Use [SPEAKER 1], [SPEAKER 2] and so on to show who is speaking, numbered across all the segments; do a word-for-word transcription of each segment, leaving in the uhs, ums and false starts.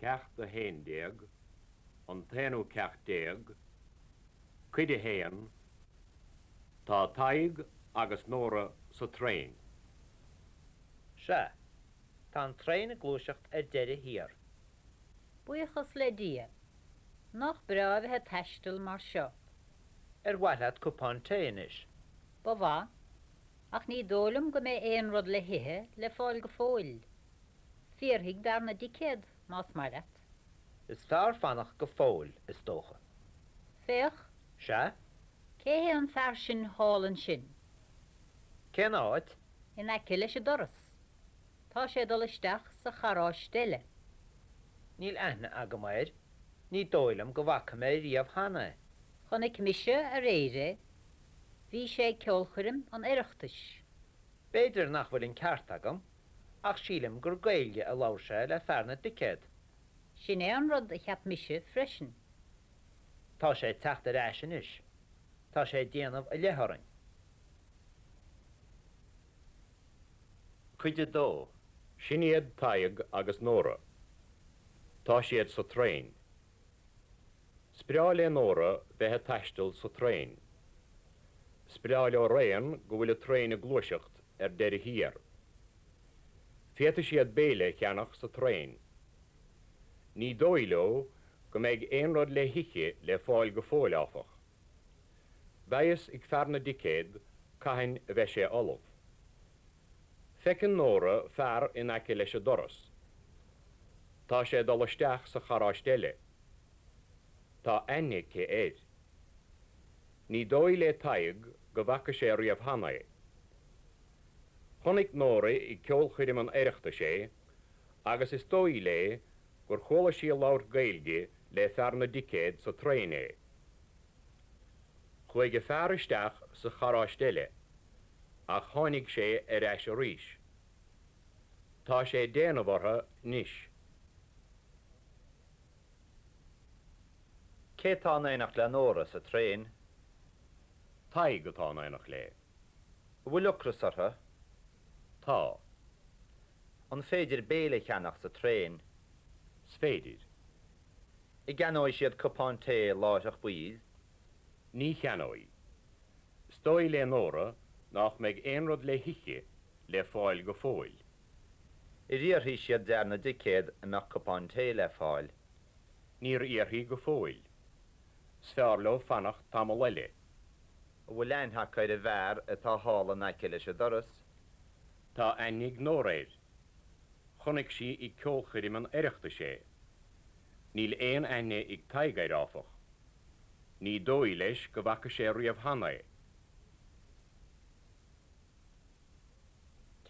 [SPEAKER 1] Ceacht a haon déag, an t-aonú ceacht déag, Cuid a haon, Tá Tadhg agus Nóra sa traein.
[SPEAKER 2] Sea, tá an traein ag gluaiseacht ar deireadh thiar.
[SPEAKER 3] Buíochas le Dia. Nach breá a bheith ag taisteal mar seo.
[SPEAKER 2] Ar mhaith leat cupán tae anois?
[SPEAKER 3] Ba mhaith, ach ní dóigh liom go mbeidh aon rud le hithe le fáil go fóill. Fiafraigh d'fhear na dticéad, más maith leat.
[SPEAKER 2] Is fearr fanacht go fóill, is dócha.
[SPEAKER 3] Féach.
[SPEAKER 2] Sea?
[SPEAKER 3] Cé hé an fear sin thall ansin?
[SPEAKER 2] Cén áit?
[SPEAKER 3] In aice leis an doras. Tá sé ag dul isteach sa charráiste eile.
[SPEAKER 2] Níl aithne agam air. Ní dóigh liom go bhfaca mé riamh cheana é.
[SPEAKER 3] Chonaic mise aréir é. Bhí sé ag ceolchoirm an Oireachtais.
[SPEAKER 2] B'fhéidir nach bhfuil an ceart agam, ach sílim gur Gaeilge a labhair sé le fear na dticéad.
[SPEAKER 3] Sin é an rud a cheap mise freisin.
[SPEAKER 2] Tá sé ag teacht ar ais anois. Tá sé ag déanamh i leith orainn.
[SPEAKER 1] Cuid a dó. Sin iad Tadhg agus Nóra. Tá siad sa traein. Is breá le Nóra bheith ag taisteal sa traein. Is breá leo araon go bhfuil an traein ag gluaiseacht ar deireadh thiar. Féadfaidh siad béile a cheannach sa traein. Ní dóigh leo go mbeidh aon rud le hithe le fáil go fóill, áfach. Beidh a fhios ag fear na dticéad cathain a bheidh sé ullamh. Feiceann Nóra fear in aice leis an doras. Tá sé ag dul isteach sa charráiste eile. Tá aithne aici air. Ní dóigh le Tadhg go bhfaca sé riamh cheana é. Chonaic Nóra i gceolchoirm an Oireachtais é agus is dóigh léi gur chuala sí ag labhairt Gaeilge le fear na dticéad sa traein é. Chuaigh an fear isteach sa charráiste eile ach tháinig sé ar ais arís. Tá sé ag déanamh orthu anois.
[SPEAKER 2] Cé tá in éineacht le Nóra sa traein?
[SPEAKER 1] Tadhg atá in éineacht léi.
[SPEAKER 2] An bhfuil ocras orthu?
[SPEAKER 1] Tá.
[SPEAKER 2] An féidir béile a cheannach sa traein?
[SPEAKER 1] Is féidir.
[SPEAKER 2] An gceannóidh siad cupán tae láithreach baill?
[SPEAKER 1] Ní cheannóidh. Is dóigh le Nóra nach mbeidh aon rud le hithe le fáil go fóill.
[SPEAKER 2] Ar fhiafraigh siad d'fhear na dticéad an mbeadh cupán tae le fáil?
[SPEAKER 1] Níor fhiafraigh go fóill. Is fearr leo fanacht tamall eile.
[SPEAKER 2] An bhfuil aithne acu ar an bhfear atá thall in aice leis an doras?
[SPEAKER 1] Tá aithne ag Nóra air. Chonaic sí ag ceolchoirm an Oireachtais é. Níl aon aithne ag Tadhg air, áfach. Ní dóigh leis go bhfaca sé riamh cheana é.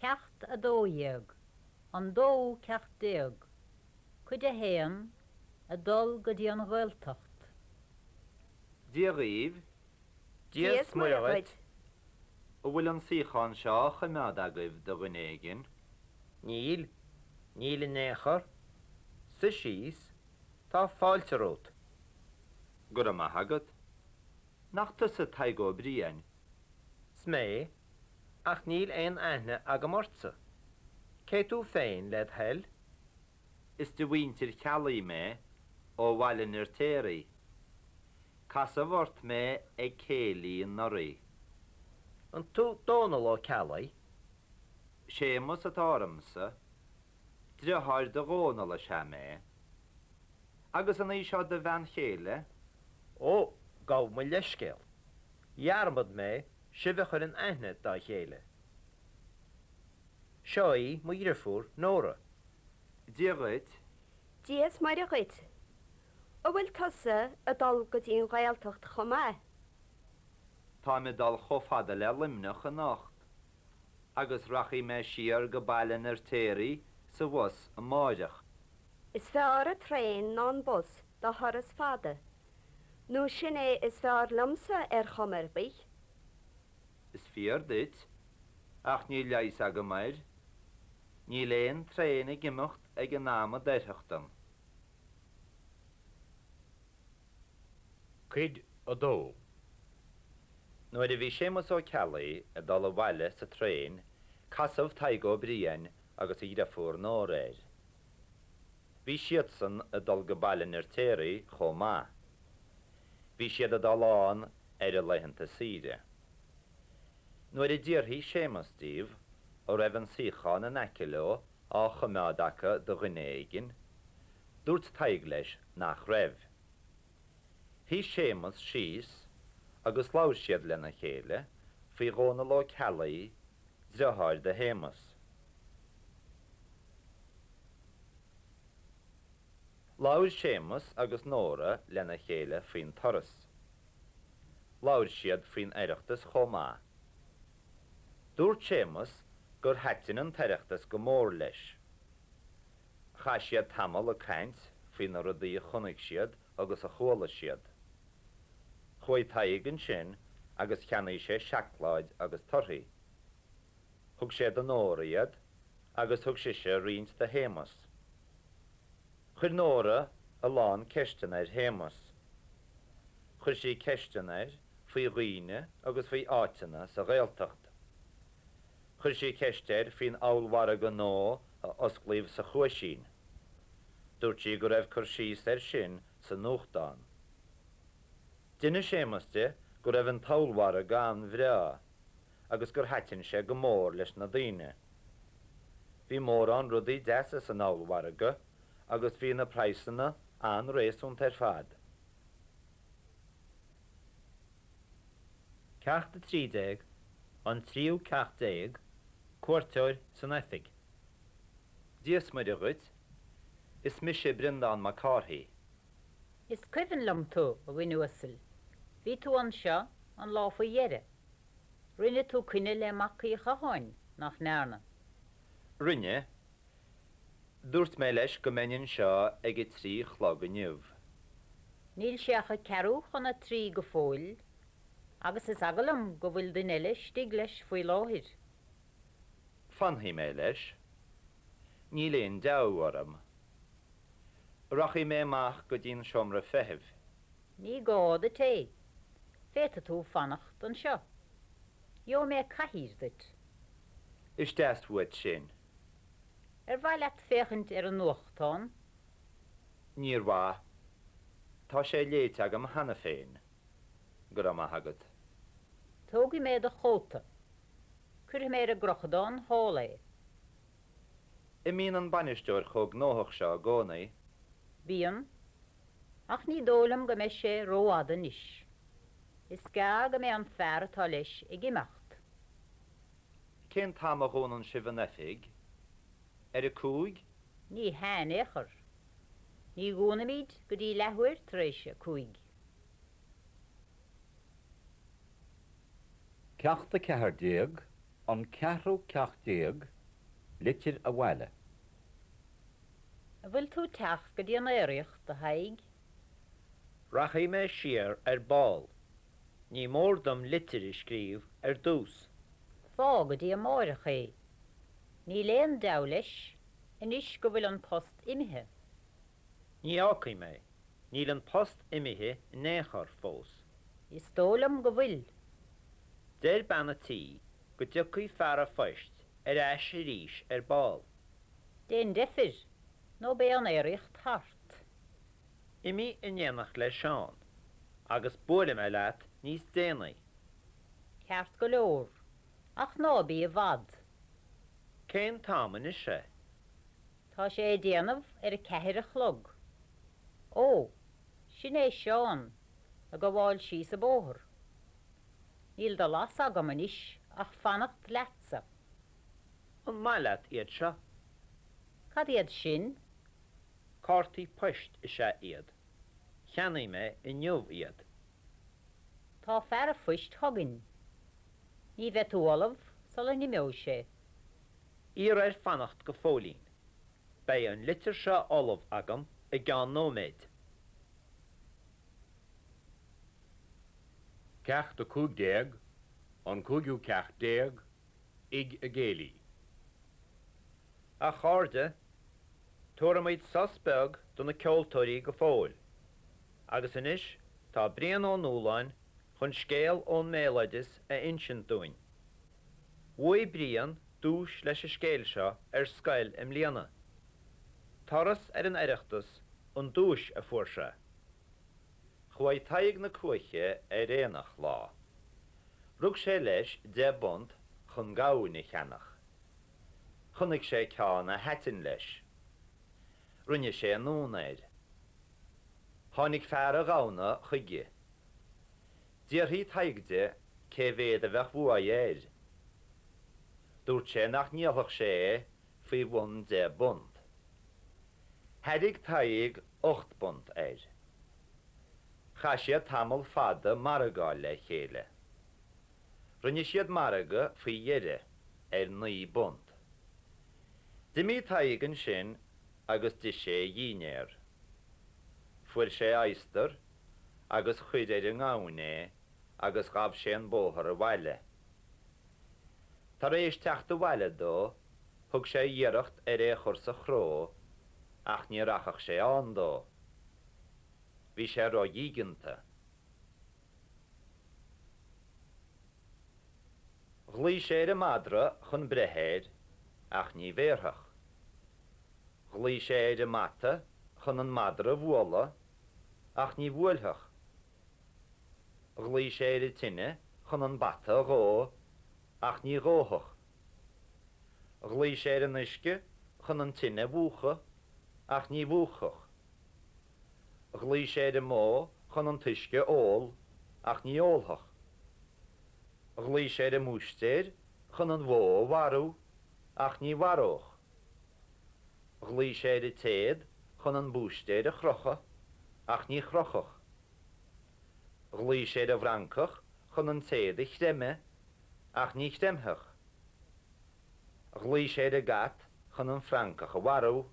[SPEAKER 3] Ceacht a dó dhéag, An dóú ceacht déag, Cuid a haon, Ag dul go dtí an Ghaeltacht.
[SPEAKER 2] Dia dhaoibh.
[SPEAKER 4] Dia is Muire dhuit.
[SPEAKER 2] An bhfuil an suíochán seo á choimeád agaibh do dhuine éigin? Níl. Níl in aon chor. Suigh síos. Tá fáilte romhat. Go raibh maith agat. Nach tusa Tadhg Ó Briain? 'S mé, ach níl aon aithne agam ortsa. Cé tú féin, led thoil? Is de mhuintir Cheallaigh mé, ó Bhaile an Fheirtéaraigh. Casadh ort mé ag céilí anuraidh. An tú Dónall Ó Ceallaigh? Séamus atá ormsa. Driotháir do Dhónall is ea mé. Agus an í seo do bhean chéile? Ó, gabh mo leithscéal. Dhearmad mé sibh a chur in aithne dá chéile. Seo í mo dhriofúr, Nóra. Dia dhuit.
[SPEAKER 4] Dia is Muire dhuit. An bhfuil tusa ag dul go dtí an Ghaeltacht chomh maith?
[SPEAKER 2] Táim ag dul chomh fada le Luimneach anocht agus rachaidh mé siar go Baile an Fheirtéaraigh sa bhus amáireach.
[SPEAKER 4] Is fearr an traein ná an bus do thuras fada, nó sin é is fearr liomsa ar chuma ar bith.
[SPEAKER 2] Is fíor duit, ach níl leigheas agam air. Níl aon traein ag imeacht ag an am a d'oirfeadh dom.
[SPEAKER 1] Cuid a dó.
[SPEAKER 2] Nuair a bhí Séamus Ó Ceallaigh ag dul abhaile sa traein, casadh Tadhg Ó Briain agus a dhriofúr Nóra air. Bhí siadsan ag dul go Baile an Fheirtéaraigh chomh maith. Bhí siad ag dul ann ar a laethanta saoire. Nuair a d'fhiafraigh Séamus díobh an raibh an suíochán in aice leo á choimeád acu do dhuine éigin, dúirt Tadhg leis nach raibh. Shuigh Séamus síos agus labhair siad lena chéile faoi Dhónal Ó Ceallaigh, deartháir do Shéamus. Labhair Séamus agus Nóra lena chéile faoin turas. Labhair siad faoin Oireachtas chomh maith. Dúirt Séamus gur thaitin an tOireachtas go mór leis. Chaith siad tamall ag caint faoi na rudaí a chonaic siad agus a chuala siad. Chuaigh Tadhg ansin agus cheannaigh sé seacláid agus torthaí. Thug sé do Nóra iad agus thug sise roinnt do Shéamus. Chuir Nóra a lán ceisteanna ar Shéamus. Chuir sí ceisteanna air faoi dhaoine agus faoi áiteanna sa Ghaeltacht. Chuir sí ceist air faoin ollmhargadh nua a osclaíodh sa Chuaisín. Dúirt sí go raibh cur síos air sin sa nuachtán. D'inis Séamus di go raibh an t-ollmhargadh an-bhreá agus gur thaitin sé go mór leis na daoine. Bhí mórán rudaí deasa san ollmhargadh agus bhí na praghsanna an-réasúnta ar fad.
[SPEAKER 5] Ceacht a trí déag, An tríú ceacht déag, Cuairteoir san oifig.
[SPEAKER 2] Dia is Muire dhuit, is mise Breandán Mac Cárthaigh.
[SPEAKER 3] Is cuimhin liom tú, a dhuine uasail. Bhí tú anseo an lá faoi dheireadh. Rinne tú coinne le Mac Uí Chatháin, nach ndearna?
[SPEAKER 2] Rinne. Dúirt mé leis go mbeinn anseo ag a trí a chlog inniu.
[SPEAKER 3] Níl sé ach a ceathrú chun a trí go fóill, agus is eagal liom go bhfuil duine eile istigh leis faoi láthair.
[SPEAKER 2] Fanfaidh mé leis. Níl aon deabhadh orm. Rachaidh mé amach go dtí'n seomra feithimh.
[SPEAKER 3] Ní gá duit é. Féadfaidh tú fanacht anseo. Gheobhaidh mé cathaoir duit.
[SPEAKER 2] Is deas uait sin.
[SPEAKER 3] Ar mhaith leat féachaint ar an nuachtán?
[SPEAKER 2] Níor mhaith. Tá sé léite agam cheana féin. Go raibh maith agat.
[SPEAKER 3] Tógfaidh mé do chóta. Cuirfidh mé ar an gcrochadán thall é.
[SPEAKER 2] An mbíonn an bainisteoir chomh gnóthach seo i gcónaí?
[SPEAKER 3] Bíonn. Ach ní dóigh liom go mbeidh sé rófhada anois. Is gearr go mbeidh an fear atá leis ag imeacht.
[SPEAKER 2] Cén t-am a dhúnann sibh an oifig? Ar a cúig?
[SPEAKER 3] Ní hea in aon chor. Ní dhúnaimid go dtí leathuair tar éis a cúig.
[SPEAKER 6] Ceacht a ceathair déag, An ceathrú ceacht déag, Litir abhaile.
[SPEAKER 3] An bhfuil tú ag teacht go dtí an aeraíocht, a Thaidhg?
[SPEAKER 5] Rachaidh mé siar ar ball. Ní mór dom litir a scríobh ar dtús.
[SPEAKER 3] Fág go dtí amáireach é. Níl aon deabhadh leis, anois go bhfuil an post imithe.
[SPEAKER 5] Ní fhágfaidh mé. Níl an post imithe in aon chor fós.
[SPEAKER 3] Is dóigh liom go bhfuil.
[SPEAKER 5] Deir bean an tí go dtiocfaidh fear an phoist ar ais arís ar ball.
[SPEAKER 3] Déan deifir, nó beidh an aeraíocht thart.
[SPEAKER 5] Imigh in éineacht le Seán, agus buailfidh mé leat níos déanaí.
[SPEAKER 3] Ceart go leor, ach ná bí i bhfad.
[SPEAKER 5] Cén t-am anois é?
[SPEAKER 3] Tá sé ag déanamh ar a ceathair a chlog. Ó, sin é Seán, ag gabháil síos an bóthar. Níl de leas agam anois ach fanacht leatsa.
[SPEAKER 5] An maith leat iad seo?
[SPEAKER 3] Cad iad sin?
[SPEAKER 5] Cártaí poist is ea iad. Cheannaigh mé inniu iad.
[SPEAKER 3] Tá fear an phoist chugainn. Ní bheidh tú ullamh sula n-imeoidh sé.
[SPEAKER 5] Iarr air fanacht go fóillín. Beidh an litir seo ullamh agam i gceann nóiméid.
[SPEAKER 1] Ceacht a cúig déag, An cúigiú ceacht déag, Tigh an Chéilí.
[SPEAKER 5] A chairde, tabharfaimid sos beag do na ceoltóirí go fóill. Agus anois tá Brian Ó Nualláin chun scéal ón mbéaloideas a insint dúinn. Bhuaigh Brian duais leis an scéal seo ar scoil i mbliana. Turas ar an Oireachtas an duais a fuair sé.
[SPEAKER 2] Chuaigh Tadhg na Cuaiche ar aonach lá. Rug sé leis deich bpunt chun gamhain a cheannach. Chonaic sé ceann a thaitin leis. Rinne sé anonn air. Tháinig fear an ghamhna chuige. D'fhiafraigh Tadhg de cé mhéad a bheadh uaidh air. Dúirt sé nach ndíolfadh sé é faoi bhun deich bpunt. Thairg Tadhg ocht bpunt air. Chaith siad tamall fada ag margáil le chéile. Rinne siad margadh faoi dheireadh ar naoi bpunt. D'imigh Tadhg ansin agus d'ith sé a dhinnéar. Fuair sé adhastar agus chuir ar an ngamhain é agus ghabh sé an bóthar abhaile. Tar éis teacht abhaile dó, thug sé iarracht ar é a chur sa chró ach ní rachadh sé ann dó. Bhí sé ródhígeanta. Ghlaoigh sé ar an madra chun breith air ach ní bhéarfadh. Ghlaoigh sé ar an mbata chun an madra a bhualadh ach ní bhuailfeadh. Ghlaoigh sé ar an tine chun an bata a dhó ach ní dhófadh. Ghlaoigh sé ar an uisce chun an tine a mhúchadh ach ní mhúchfadh. Ghlaoigh sé ar an mbó chun an t-uisce a ól ach ní ólfadh. Ghlaoigh sé ar an mbúistéir chun an bhó a mharú ach ní mharódh. Ghlaoigh sé ar an téad chun an búistéir a chrochadh ach ní chrochfadh. Ghlaoigh sé ar an bhfrancach chun an téad a chreimeadh ach ní chreimfeadh. Ghlaoigh sé ar an gcat chun an francach a mharú.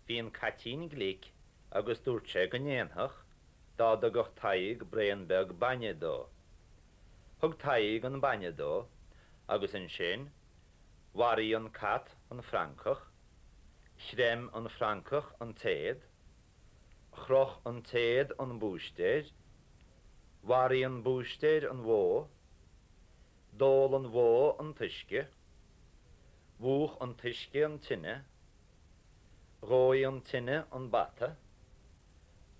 [SPEAKER 2] Bhí an caitín glic agus dúirt sé go ndéanfadh dá dtugadh Tadhg braon beag bainne dó. Thug Tadhg an bainne dó agus ansin mharaigh an cat an francach, chreim an francach an téad, Chroch an téad an búistéir, mharaigh an búistéir an bhó, d'ól an bhó an t-uisce, mhúch an t-uisce an tine, dhóigh an tine an bata,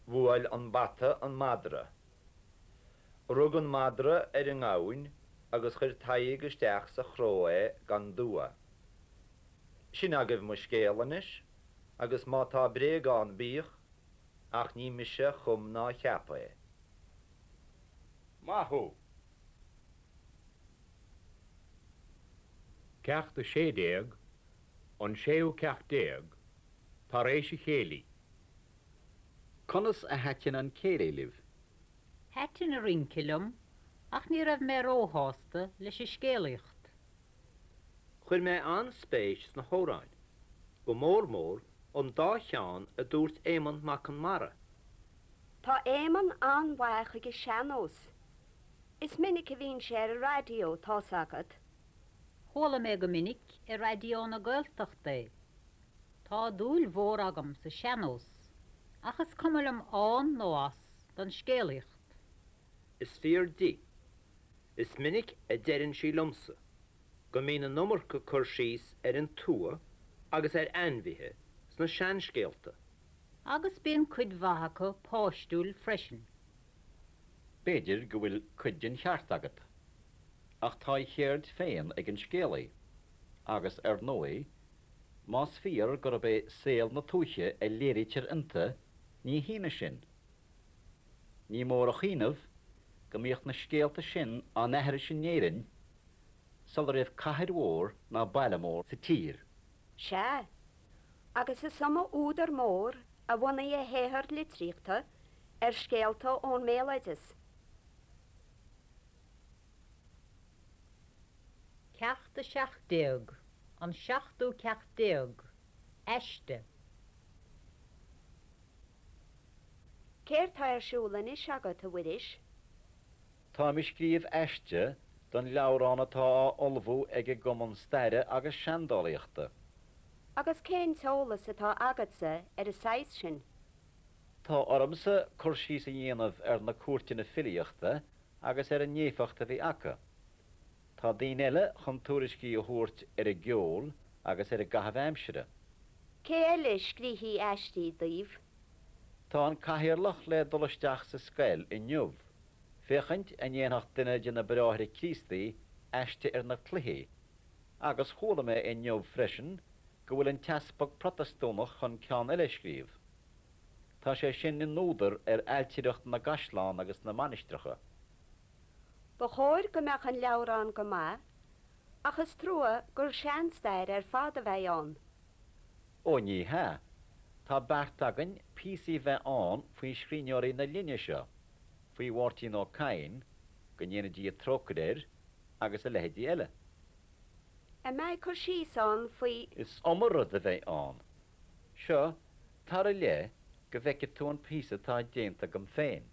[SPEAKER 2] bhuail an bata an madra. Rug an madra ar an ngamhain agus chuir Tadhg isteach sa chró é gan dua. Sin agaibh mo scéal anois agus má tá bréag ann bíodh, ach ní mise a chum ná a cheap é.
[SPEAKER 6] Maith thú!
[SPEAKER 1] Ceacht a sé déag, An séú ceacht déag, Tar éis an chéilí.
[SPEAKER 6] Conas a thaitin an céilí libh?
[SPEAKER 3] Thaitin an rince liom ach ní raibh mé róshásta leis an scéalaíocht.
[SPEAKER 5] Chuir mé an-spéis sna hamhráin, go mór mór an dá cheann a dúirt Éamonn Mac Conmara.
[SPEAKER 4] Tá Éamonn an-mhaith ag an sean-nós. Is minic a bhíonn sé ar an raidió, tá's agat.
[SPEAKER 3] Chuala mé go minic ar Raidió na Gaeltachta é. Tá dúil mhór agam sa sean-nós, ach is cuma liom ann nó as don scéalaíocht.
[SPEAKER 5] Is fíor di. Is minic a deireann sí liomsa go mbíonn an iomarca cur síos ar an tuath agus ar ainmhithe sna seanscéalta.
[SPEAKER 3] Agus bíonn cuid mhaith acu páistiúil freisin.
[SPEAKER 6] B'fhéidir go bhfuil cuid den cheart agat. Ach tá a cheird féin ag an scéalaí. Agus, ar ndóigh, más fíor gurb é saol na tuaithe a léirítear iontu, ní hionadh sin. Ní mór a chuimhneamh go mbíodh na scéalta sin á n-aithris in Éirinn sula raibh cathair mhór ná baile mór sa tír.
[SPEAKER 4] Sea, agus is iomaí údar mór a bhunaigh a shaothar litríochta ar scéalta ón mbéaloideas.
[SPEAKER 3] Ceacht a seacht déag, An seachtú ceacht déag, Aiste.
[SPEAKER 4] Céard tá ar siúl anois agat, a Mhuiris?
[SPEAKER 6] Táim ag scríobh aiste don leabhrán atá á ullmhú ag an gCumann Staire agus Seandálaíochta.
[SPEAKER 4] Agus cén t-eolas atá agatsa ar an saghas sin?
[SPEAKER 6] Tá ormsa cur síos a dhéanamh ar na cúirteanna filíochta agus ar an éifeacht a bhí acu. Tá daoine eile chun tuairiscí a thabhairt ar an gceol agus ar an gcaitheamh aimsire.
[SPEAKER 4] Cé eile a scríobhfaidh aistí daoibh?
[SPEAKER 6] Tá an Cathaoirleach le dul isteach sa scoil inniu, féachaint an ndéanfadh duine de na Bráithre Críostaí aiste ar na cluichí, agus chuala mé inniu freisin go bhfuil an t-easpag Protastúnach chun ceann eile a scríobh. Tá sé sin ina údar ar ailtireacht na gcaisleán agus na mainistreacha.
[SPEAKER 4] Ba chóir go mbeadh an leabhrán go maith, ach is trua gur seanstair ar fad a bheidh ann.
[SPEAKER 6] Ó ní hea, tá beart againn píosaí bheith ann faoi scríbhneoirí na linne seo, faoi Mháirtín Ó Cadhain, go ndéana Dia trócaire air, agus a leithéidí eile.
[SPEAKER 4] An mbeidh cur síos ann faoi.
[SPEAKER 6] Is iomaí rud a bheidh ann. Seo, tar i leith go bhfeicfidh tú an píosa atá déanta agam féin.